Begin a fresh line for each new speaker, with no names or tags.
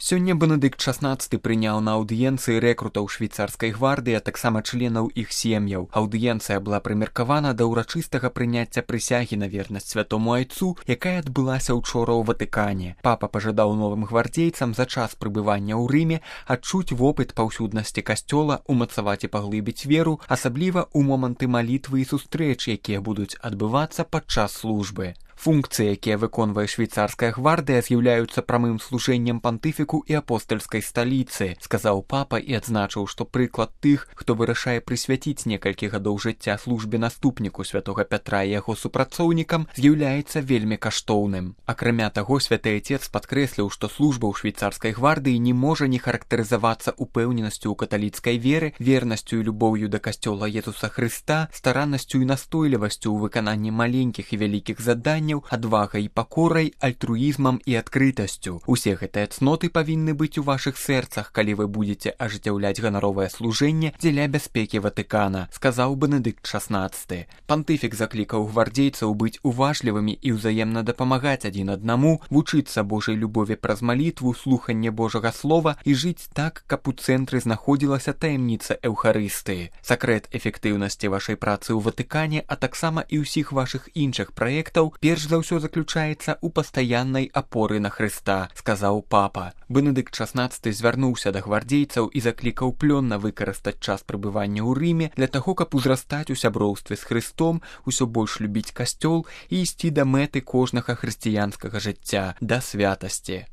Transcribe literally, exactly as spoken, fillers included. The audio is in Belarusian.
Сёння Бенедыкт шаснаццаты прыняў на аўдыенцыі рэкрутаў швейцарскай гвардыі, а таксама членаў іх сем'яў. Аўдыенцыя была прымеркавана да ўрачыстага прыняцця прысягі на вернасць святому айцу, якая адбылася ўчора ў Ватыкане. Папа пажадаў новым гвардзейцам за час прыбывання ў Рыме адчуць вопыт паўсюднасці касцёла, умацаваць і паглыбіць веру, асабліва ў моманты малітвы і сустрэч, якія будуць адбывацца падчас службы. Функцыі, якія выконвае швейцарская гвардыя, з'яўляюцца прамым служэннем пантыфіку і апостальскай сталіцы, сказаў папа і адзначыў, што прыклад тых, хто вырашае прысвяціць некалькі гадоў жыцця службе наступніку святога Пятра і яго супрацоўнікам, з'яўляецца вельмі каштоўным. Акрамя таго, святы айцец падкрэсліў, што служба ў швейцарскай гвардыі не можа не характарызавацца упэўненасцю ў каталіцкай веры, вернасцю і любоўю да касцёла Езуса Хрыста, стараннасцю і настойлівасцю ў выкананні маленькіх і вялікіх заданняў, адвагай і пакорай, альтруізмам і адкрытасцю. Усе гэтыя цноты павінны быць у вашых сэрцах, калі вы будзеце ажыццяўляць ганаровае служэнне дзеля бяспекі Ватыкана, сказаў Бенедыкт шаснаццаты. Пантыфік заклікаў гвардзейцаў быць уважлівымі і ўзаемна дапамагаць адзін аднаму, вучыцца Божай любові праз малітву, слуханне Божага слова і жыць так, каб у цэнтры знаходзілася таямніца Эўхарыстыі. Сакрэт эфектыўнасці вашай працы ў Ватыкане, а таксама і ўсіх вашых іншых праектаў, перш за ўсё заключаецца ў пастаяннай апоры на Хрыста, сказаў папа. Бенедыкт шаснаццаты звярнуўся да гвардзейцаў і заклікаў плённа выкарыстаць час прыбывання ў Рыме для таго, каб узрастаць у сяброўстве з Хрыстом, усё больш любіць касцёл і ісці да мэты кожнага хрысціянскага жыцця, да святасці.